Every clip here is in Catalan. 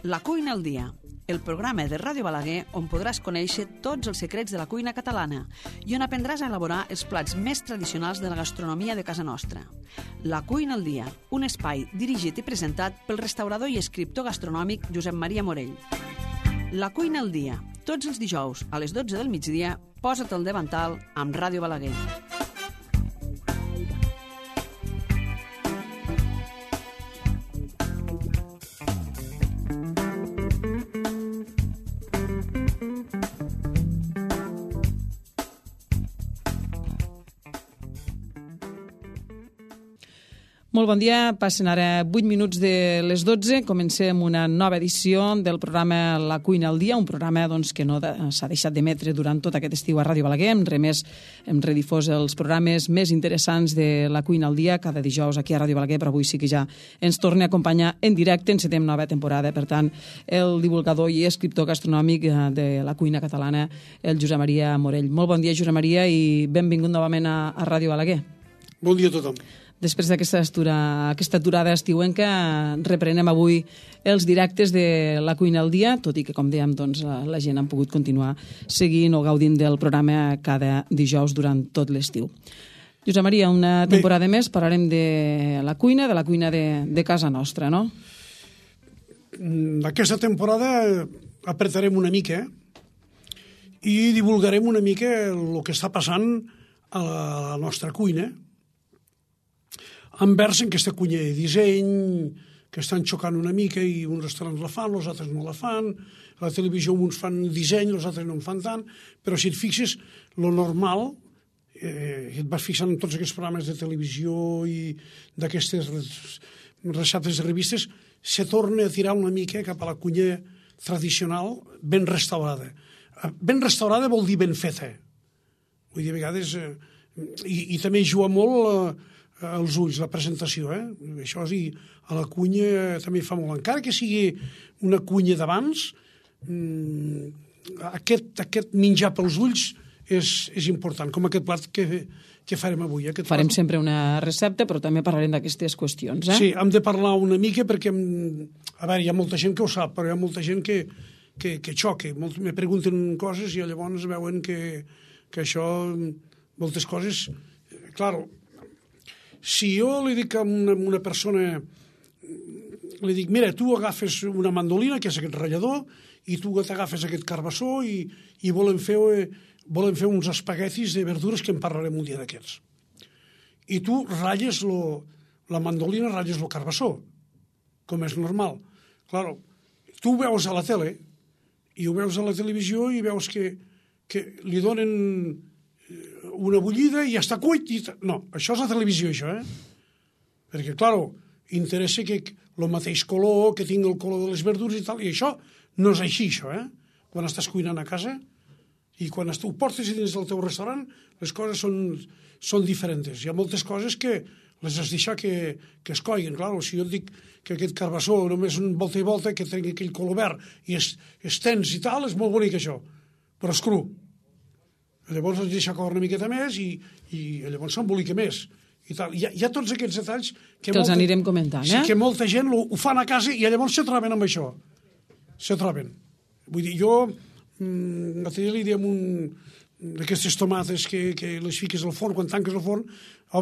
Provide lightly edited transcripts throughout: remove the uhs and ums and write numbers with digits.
La cuina al dia, el programa de Ràdio Balaguer on podràs conèixer tots els secrets de la cuina catalana i on aprendràs a elaborar els plats més tradicionals de la gastronomia de casa nostra. La cuina al dia, un espai dirigit i presentat pel restaurador i escriptor gastronòmic Josep Maria Morell. La cuina al dia, tots els dijous a les 12 del migdia, posa't al davantal amb Ràdio Balaguer. Molt bon dia, passen ara 8 minuts de les 12, comencem una nova edició del programa La cuina al dia, un programa que no s'ha deixat d'emetre durant tot aquest estiu a Ràdio Balaguer, hem redifós els programes més interessants de La cuina al dia cada dijous aquí a Ràdio Balaguer, però avui sí que ja ens torna a acompanyar en directe, encetem nova temporada, per tant, el divulgador i escriptor gastronòmic de la cuina catalana, el Josep Maria Morell. Molt bon dia, Josep Maria, i benvingut novament a Ràdio Balaguer. Bon dia a tothom. Després d'aquesta aturada estiuenca, reprenem avui els directes de La cuina al dia, tot i que, com dèiem, la gent ha pogut continuar seguint o gaudint del programa cada dijous durant tot l'estiu. Josep Maria, una temporada més parlarem de la cuina de casa nostra, no? Aquesta temporada apretarem una mica i divulgarem una mica el que està passant a la nostra cuina, envers aquesta cuina de disseny, que estan xocant una mica i uns restaurants la fan, els altres no la fan, a la televisió uns fan disseny, els altres no en fan tant, però si et fixes, lo normal, et vas fixant en tots aquests programes de televisió i d'aquestes receptes de revistes, se torna a tirar una mica cap a la cuina tradicional ben restaurada. Ben restaurada vol dir ben feta. Vull dir, a vegades... I també juga molt... als ulls, la presentació, Això sí, a la cuina també fa molt. Encara que sigui una cuina d'abans, aquest menjar pels ulls és important, com aquest plat que farem avui. Farem sempre una recepta, però també parlarem d'aquestes qüestions, Sí, hem de parlar una mica perquè, a veure, hi ha molta gent que ho sap, però hi ha molta gent que xoca. Me pregunten coses i llavors veuen que això, moltes coses... Clar, si jo li dic a una persona, li dic, mira, tu agafes una mandolina, que és aquest ratllador, i tu t'agafes aquest carbassó i volen fer uns espaguetis de verdures que en parlarem un dia d'aquests. I tu ratlles la mandolina, ratlles el carbassó, com és normal. Clar, tu ho veus a la tele, i ho veus a la televisió i veus que li donen... una bullida i ja està cuit. No, això és la televisió, això, Perquè, clar, interessa que el mateix color, que tingui el color de les verdures i tal, i això no és així, això, Quan estàs cuinant a casa i quan ho portes dins del teu restaurant, les coses són diferents. Hi ha moltes coses que les has de deixar que es coiguin. Clar, si jo et dic que aquest carbassó només un volta i volta, que tingui aquell color verd i és tens i tal, és molt bonic, això, però és cru. Llavors els deixa córrer una miqueta més i llavors s'embolica més. Hi ha tots aquests detalls que els anirem comentant, Sí, que molta gent ho fan a casa i llavors se troben amb això. Se troben. Vull dir, jo l'altre dia li diem d'aquestes tomates que les fiques al forn, quan tanques el forn,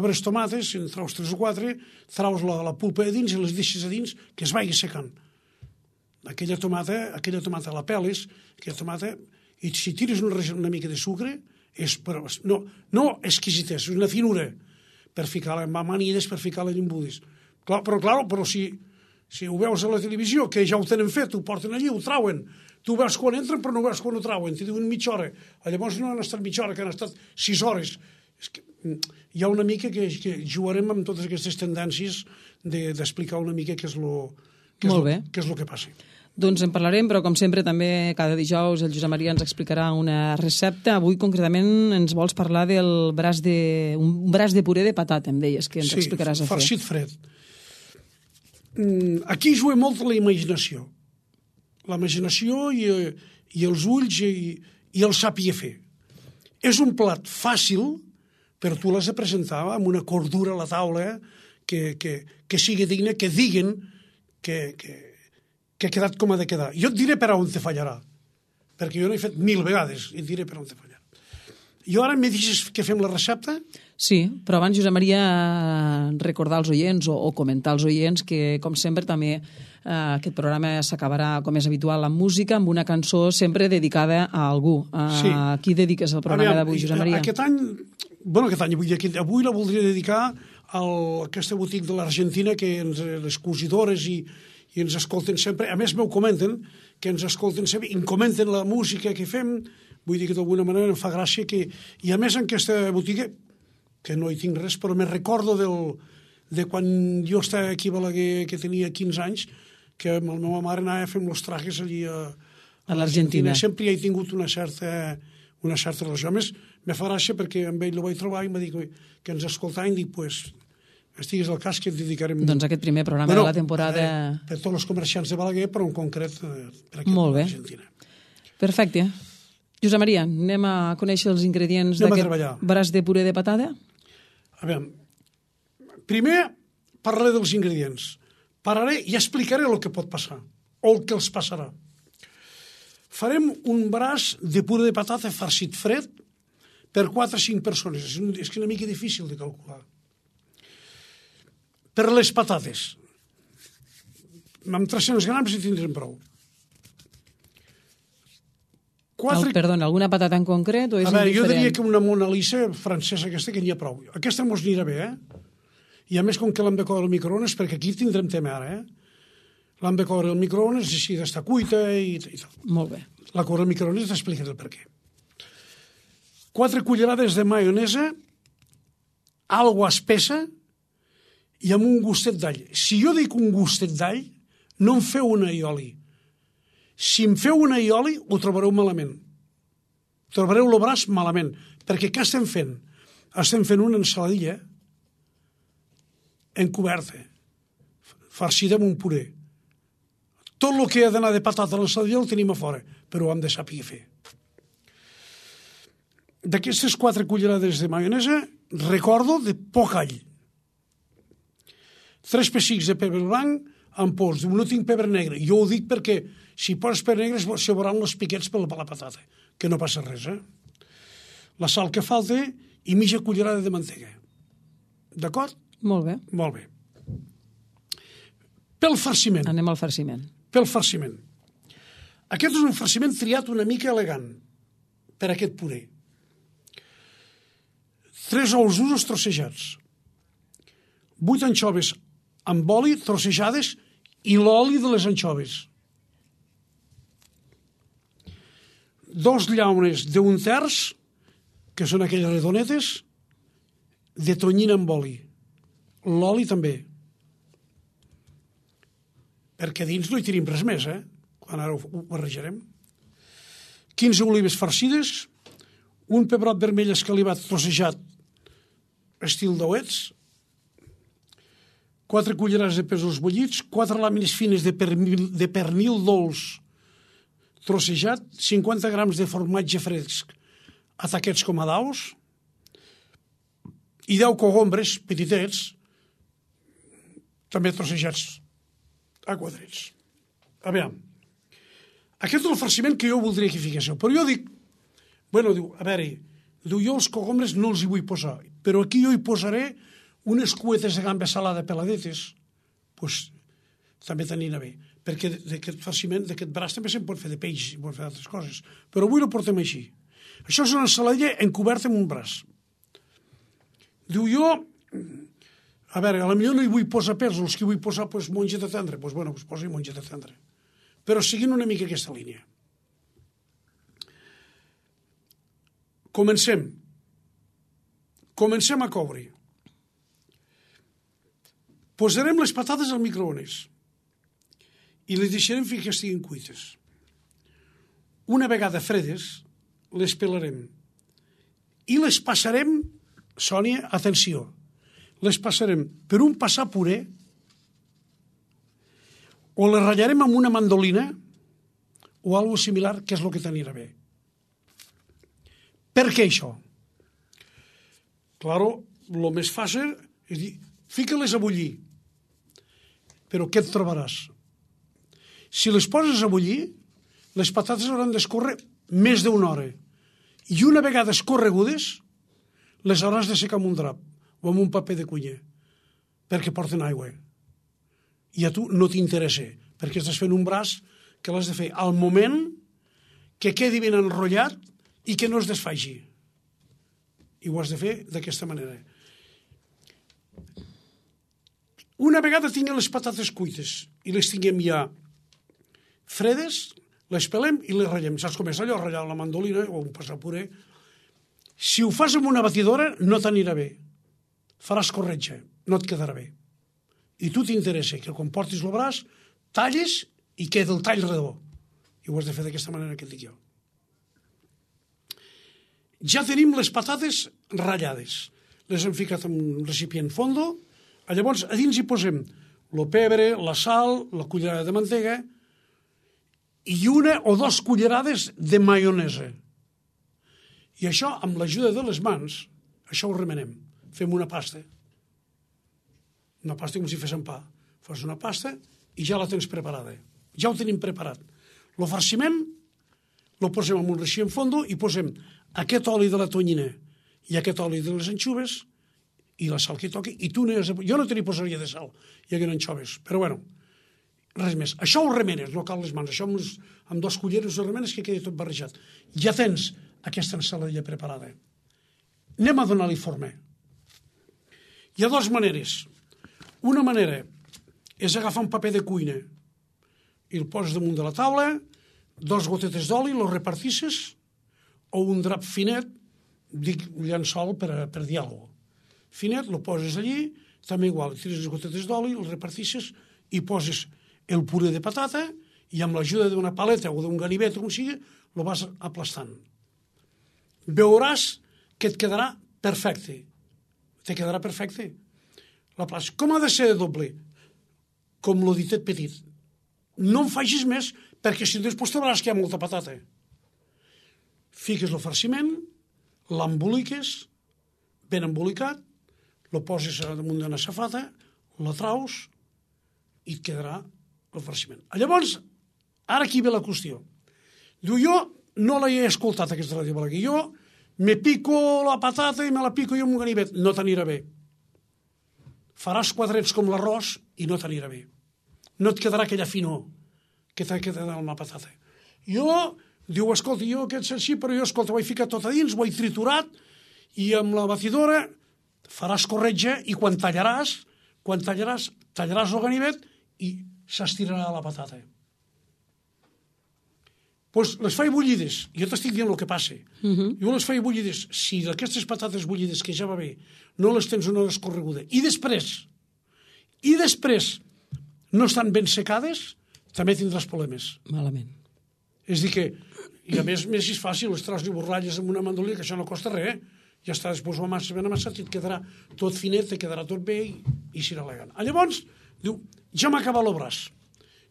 obres tomates, en traus 3 o 4, traus la pulpa de dins i les deixes a dins que es vagi secant. Aquella tomata la peles, aquella tomata, i si tires una mica de sucre, no exquisitès, és una finura per ficar en amanides, per ficar-la en embudis. Però si ho veus a la televisió, que ja ho tenen fet, ho porten allí, ho trauen, tu veus quan entren però no veus quan ho trauen, t'hi diuen mitja hora, llavors no han estat mitja hora, que han estat 6 hores. Hi ha una mica que jugarem amb totes aquestes tendències d'explicar una mica què és el que passa. Doncs en parlarem, però com sempre també cada dijous el Josep Maria ens explicarà una recepta. Avui concretament ens vols parlar del braç de puré de patata, em deies, que ens explicaràs a fer. Sí, farcit fred. Aquí juga molt la imaginació. La imaginació i els ulls i el saber fer. És un plat fàcil, però tu l'has de presentar amb una cordura a la taula que sigui digna, que diguin que que ha quedat com ha de quedar. Jo et diré per on te fallarà, perquè jo n'he fet 1000 vegades i et diré per on te fallarà. I ara me deixes que fem la recepta? Sí, però abans, Josep Maria, recordar als oients o comentar als oients que, com sempre, també aquest programa s'acabarà, com és habitual, amb música, amb una cançó sempre dedicada a algú. Sí. A qui dediques el programa d'avui, Josep Maria? Aquest any, avui la voldria dedicar a aquesta botiga de l'Argentina, que les cosidores i ens escolten sempre. A més, m'ho comenten, que ens escolten sempre, i em comenten la música que fem. Vull dir que d'alguna manera em fa gràcia que... I a més, en aquesta botiga, que no hi tinc res, però me recordo de quan jo estava aquí a Balaguer, que tenia 15 anys, que amb la meva mare anava a fer els trajes allí a l'Argentina. Sempre hi he tingut una certa relació. A més, me fa gràcia perquè amb ell el vaig trobar i m'ha dit que ens escoltava i dic, pues, estigues al cas que et dedicarem... Doncs aquest primer programa de la temporada... Per tots els comerciants de Balaguer, però en concret per aquí a l'Argentina. Perfecte. Josep Maria, anem a conèixer els ingredients d'aquest braç de puré de patata? A veure, primer parlaré dels ingredients. Parlaré i explicaré el que pot passar, o el que els passarà. Farem un braç de puré de patata farcit fred per 4 o 5 persones. És que és una mica difícil de calcular. Per les patates. Amb 300 grams hi tindrem prou. Perdona, alguna patata en concret o és indiferent? Jo diria que una Mona Lisa francesa aquesta que n'hi ha prou. Aquesta mos anirà bé, I a més, com que l'hem de coure al microones, perquè aquí tindrem tema ara, L'hem de coure al microones, així d'estar cuita i tal. Molt bé. La coure al microones t'explicaré el per què. 4 cullerades de maionesa, aigua espessa i amb un gustet d'all. Si jo dic un gustet d'all, no em feu un aioli. Si em feu un aioli, ho trobareu malament. Trobareu el braç malament. Perquè què estem fent? Estem fent una ensaladilla encoberta, farcida amb un puré. Tot el que ha d'anar de patata a l'ensaladilla el tenim a fora, però ho hem de saber fer. D'aquestes 4 cullerades de maionesa, recordo de poc all. 3 pessics de pebre blanc amb pols. No tinc pebre negre. Jo ho dic perquè si poses pebre negre se veuran els piquets per la patata, que no passa res, La sal que falta i mitja cullerada de mantega. D'acord? Molt bé. Molt bé. Pel farciment. Anem al farciment. Pel farciment. Aquest és un farciment triat una mica elegant per aquest puré. 3 ous durs trossejats. 8 anxoves amb oli trossejades i l'oli de les anxoves. 2 llaunes d'un terç, que són aquelles redonetes, de tonyina amb oli. L'oli també. Perquè dins no hi tenim res més, quan ara ho barrejarem. 15 olives farcides, un pebrot vermell escalivat trossejat estil dauets, 4 cullerades de pèsols bullits, 4 làmines fines de pernil dolç trossejat, 50 grams de formatge fresc a taquets com a daus i 10 cogombres petitets també trossejats a quadrets. A veure, aquest és el farciment que jo voldria que fiquéssiu, però jo dic, jo els cogombres no els hi vull posar, però aquí jo hi posaré unes cuetes de gamba salada peladetes, doncs també t'anirà bé, perquè d'aquest farciment, d'aquest braç també se'n pot fer de peix, i pot fer d'altres coses, però avui ho portem així. Això és una ensaladilla encoberta amb un braç. Diu jo, a potser no hi vull posar pèsols, que vull posar mongeta tendra, doncs posi mongeta tendra, però seguint una mica aquesta línia. Comencem a coure. Posarem les patates al microones i les deixarem fins que estiguin cuites. Una vegada fredes, les pelarem i les passarem, Sònia, atenció, les passarem per un passar puré o les ratllarem amb una mandolina o alguna similar, que és el que t'anirà bé. Per què això? Claro, el més fàcil és dir, fica-les a bullir. Però què et trobaràs? Si les poses a bullir, les patates hauran d'escórrer més d'una hora. I una vegada escorregudes, les hauràs de secar amb un drap o amb un paper de cuiner, perquè porten aigua. I a tu no t'interessa, perquè estàs fent un braç que l'has de fer al moment que quedi ben enrotllat i que no es desfaci. I ho has de fer d'aquesta manera. Una vegada tinguem les patates cuites i les tinguem ja fredes, les pelem i les ratllem. Saps com és allò? Ratllar la mandolina o un passapuré. Si ho fas amb una batidora, no t'anirà bé. Faràs corretja, no et quedarà bé. I tu t'interessa que quan portis el braç, talles i queda el tall redó. I ho has de fer d'aquesta manera que et dic jo. Ja tenim les patates ratllades. Les hem ficat en un recipient fondo. Llavors, a dins hi posem el pebre, la sal, la cullerada de mantega i 1 o 2 cullerades de maionesa. I això, amb l'ajuda de les mans, això ho remenem. Fem una pasta. Una pasta com si féssim pa. Fas una pasta i ja la tens preparada. Ja ho tenim preparat. El farciment el posem en un recipient fondo i posem aquest oli de la tonyina i aquest oli de les anxoves i la sal que toqui, i tu jo no te n'hi posaria de sal, hi hagueren anxoves, però bueno, res més. Això ho remenes, no cal les mans, això amb 2 culleres ho remenes que quedi tot barrejat. Ja tens aquesta ensaladilla preparada. Anem a donar-li forma. Hi ha 2 maneres. Una manera és agafar un paper de cuina i el poses damunt de la taula, 2 gotetes d'oli, los repartisses, o un drap finet, dic llençol per dir alguna cosa. Finet, el poses allí, també igual, tires les gotetes d'oli, el repartisses i poses el puré de patata i amb l'ajuda d'una paleta o d'un ganivet o com sigui, el vas aplastant. Veuràs que et quedarà perfecte. Te quedarà perfecte. Com ha de ser de doble? Com lo ditet petit. No en facis més perquè si després te veuràs que hi ha molta patata. Fiques el farciment, l'emboliques, ben embolicat, el poses damunt d'una safata, la traus i et quedarà el farciment. Llavors, ara aquí ve la qüestió. Diu, jo no l'he escoltat, aquesta ràdio Balaguer. Jo me pico la patata i me la pico jo amb un ganivet. No t'anirà bé. Faràs quadrets com l'arròs i no t'anirà bé. No et quedarà aquella finor que t'ha quedat amb la patata. Diu, escolta, jo aquest així, però jo, escolta, ho he ficat tot a dins, ho he triturat i amb la batidora faràs corretja i quan tallaràs el ganivet i s'estirarà la patata. Doncs les faig bullides. Jo t'estic dient el que passa. Jo les faig bullides. Si d'aquestes patates bullides, que ja va bé, no les tens una hora escorreguda, i després no estan ben secades, també tindràs problemes. Malament. És a dir que, i a més és fàcil, les traus i borralles amb una mandolina, que això no costa res, ja està, després ho amasses ben amassat i et quedarà tot finet, et quedarà tot bé i serà elegant. Llavors, diu, ja m'ha acabat el braç.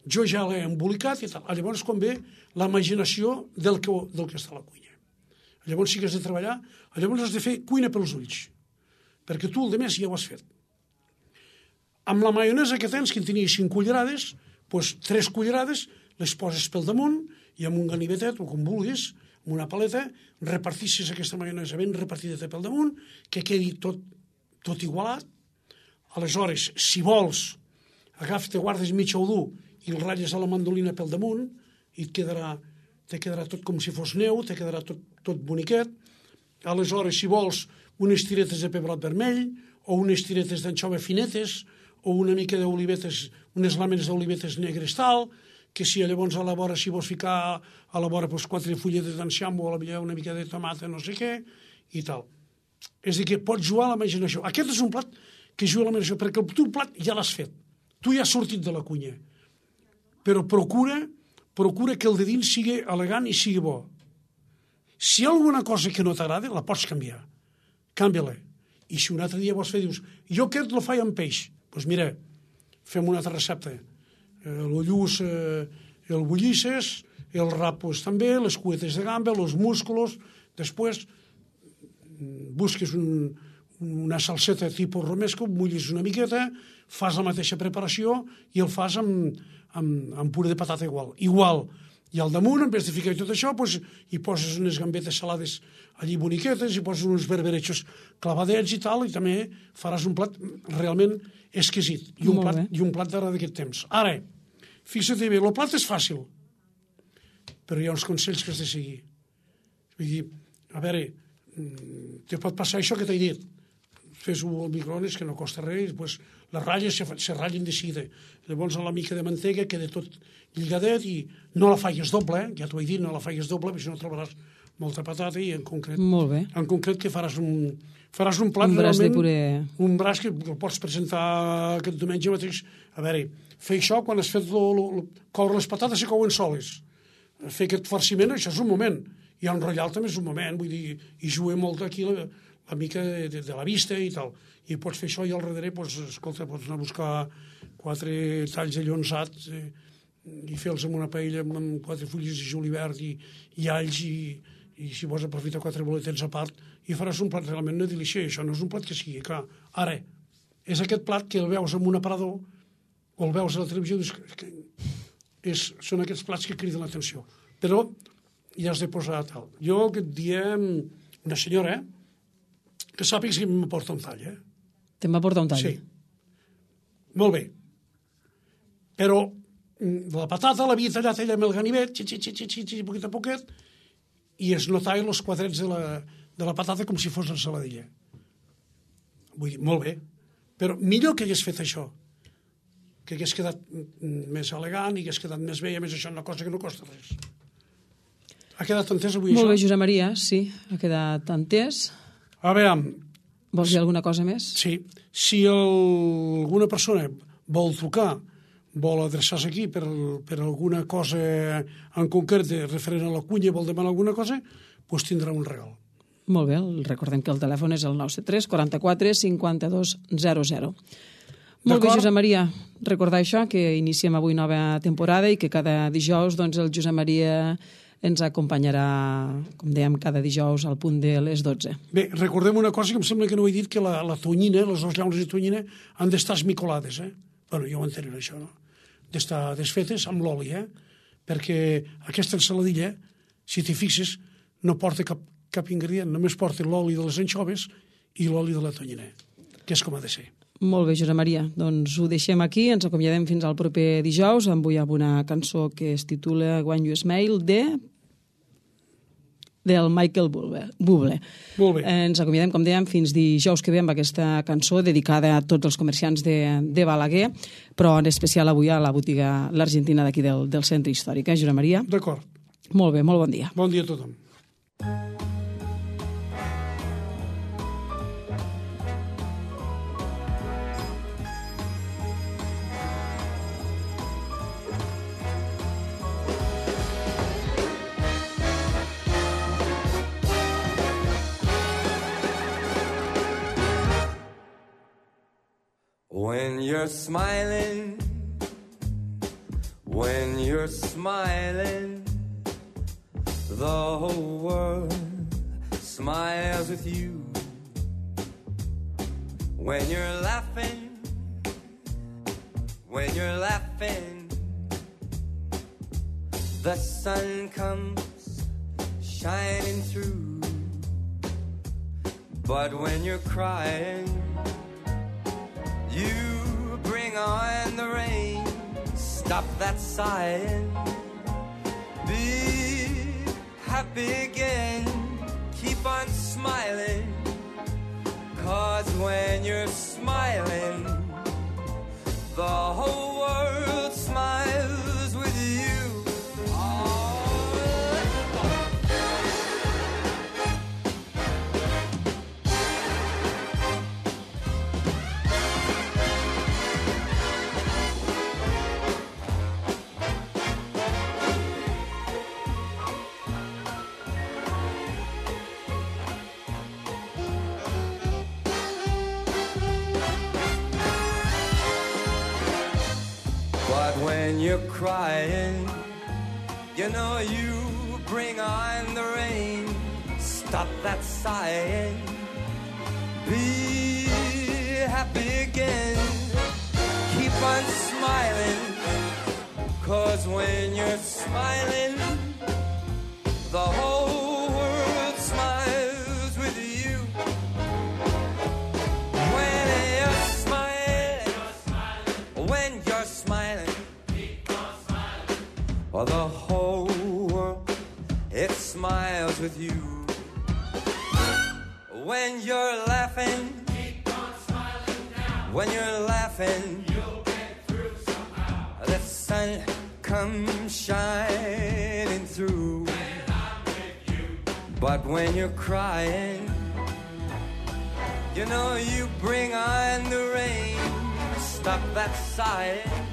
Jo ja l'he embolicat i tal. Llavors, quan ve la imaginació del que està a la cuina. Llavors sí que has de treballar, llavors has de fer cuina pels ulls, perquè tu el de més ja ho has fet. Amb la maionesa que tens, que en tenies 5 cullerades, doncs 3 cullerades les poses pel damunt i amb un ganivetet, o com vulguis, amb una paleta, repartissis aquesta maionesa ben repartida pel damunt, que quedi tot igualat. Aleshores, si vols, te guardes mig ou dur i el ratlles a la mandolina pel damunt i te quedarà tot com si fos neu, te quedarà tot boniquet. Aleshores, si vols, unes tiretes de pebrot vermell o unes tiretes d'anxova finetes o una mica d'olivetes, unes làmines d'olivetes negres tal, que si llavors a la vora, si vols ficar a la vora 4 fulletes d'enciam o a la millor una mica de tomata, no sé què, i tal. És a dir, que pots jugar a la imaginació. Aquest és un plat que juga a la imaginació, perquè el teu plat ja l'has fet. Tu ja has sortit de la cuina. Però procura que el de dins sigui elegant i sigui bo. Si hi ha alguna cosa que no t'agrada, la pots canviar. Canvia-la. I si un altre dia vols fer, dius, jo aquest el faig amb peix. Doncs mira, fem una altra recepta. El lluç el bullisses, el rap també, les cuetes de gamba, els músculos. Després busques una salseta tipus romesco, mullis una miqueta, fas la mateixa preparació i el fas amb amb puré de patata igual. I al damunt, en vez de ficar tot això, doncs, hi poses unes gambetes salades allí boniquetes, hi poses uns berberechos clavadets i tal, i també faràs un plat realment exquisit. I un plat d'ara d'aquest temps. Ara, fixa't bé, el plat és fàcil, però hi ha uns consells que has de seguir. Vull dir, a veure, te pot passar això que t'he dit. Fes-ho al microones, que no costa res, doncs les ratlles se ratllen de seguida. Llavors, la mica de mantega queda tot lligadet i no la faigues doble, ja t'ho he dit, no la faigues doble, perquè si no trobaràs molta patata i en concret que faràs un plat realment, un braç que el pots presentar aquest diumenge mateix. A veure, fer això quan has fet coure les patates se couen soles. Fer aquest farciment, això és un moment. I enrotllar també és un moment, vull dir, i juguem molt aquí la mica de la vista i tal. I pots fer això i al darrere, escolta, pots anar a buscar 4 talls de llonzat i fer-los en una paella amb 4 fulles de julivert i alls i si vols aprofitar 4 boletets a part i faràs un plat realment una delícia. Això no és un plat que sigui, clar. Ara, és aquest plat que el veus en un aparador o el veus a la televisió, són aquests plats que criden l'atenció. Però ja has de posar tal. Jo aquest dia, una senyora, que sàpigues que m'aporta un tall, Te'n va portar un tall? Sí. Molt bé. Però la patata l'havia tallat ella amb el ganivet, poquet a poquet, i es notava els quadrets de la patata com si fos la saladilla. Vull dir, molt bé. Però millor que hagués fet això, que hagués quedat més elegant i hagués quedat més bé, i a més això és una cosa que no costa res. Ha quedat entès avui això? Molt bé, això? Josep Maria, sí, ha quedat entès. A veure... Vols dir alguna cosa més? Sí. Si alguna persona vol trucar, vol adreçar-se aquí per alguna cosa en concret referent a la cuina, vol demanar alguna cosa, doncs tindrà un regal. Molt bé, recordem que el telèfon és el 973 44 52 00. Molt bé, Josep Maria, recordar això, que iniciem avui nova temporada i que cada dijous el Josep Maria ens acompanyarà, com dèiem, cada dijous al punt de les 12. Bé, recordem una cosa que em sembla que no he dit, que la tonyina, les 2 llaunes de tonyina, han d'estar esmicolades, Bueno, ja ho entenem, això, no? D'estar desfetes amb l'oli, Perquè aquesta ensaladilla, si t'hi fixes, no porta cap ingredient, només porta l'oli de les anxoves i l'oli de la tonyina, que és com ha de ser. Molt bé, Josep Maria. Doncs ho deixem aquí, ens acomiadem fins al proper dijous, avui amb una cançó que es titula When You Smile, del Michael Bublé. Molt bé. Ens acomiadem, com dèiem, fins dijous que ve amb aquesta cançó dedicada a tots els comerciants de Balaguer, però en especial avui a la botiga l'Argentina d'aquí del centre històric, Josep Maria? D'acord. Molt bé, molt bon dia. Bon dia a tothom. When you're smiling, the whole world smiles with you. When you're laughing, the sun comes shining through. But when you're crying, you bring on the rain. Stop that sighing. Be happy again. Keep on smiling. 'Cause when you're smiling, the whole world smiles with you. When you're crying, you know you bring on the rain. Stop that sighing. Be happy again. Keep on smiling. 'Cause when you're smiling, the whole world smiles with you. When you're smiling, keep on smiling. Oh, the whole world, it smiles with you. When you're laughing, keep on smiling now. When you're laughing, you'll get through somehow. The sun comes shining through. When I'm with you. But when you're crying, you know you bring on the rain. Stop that sighing.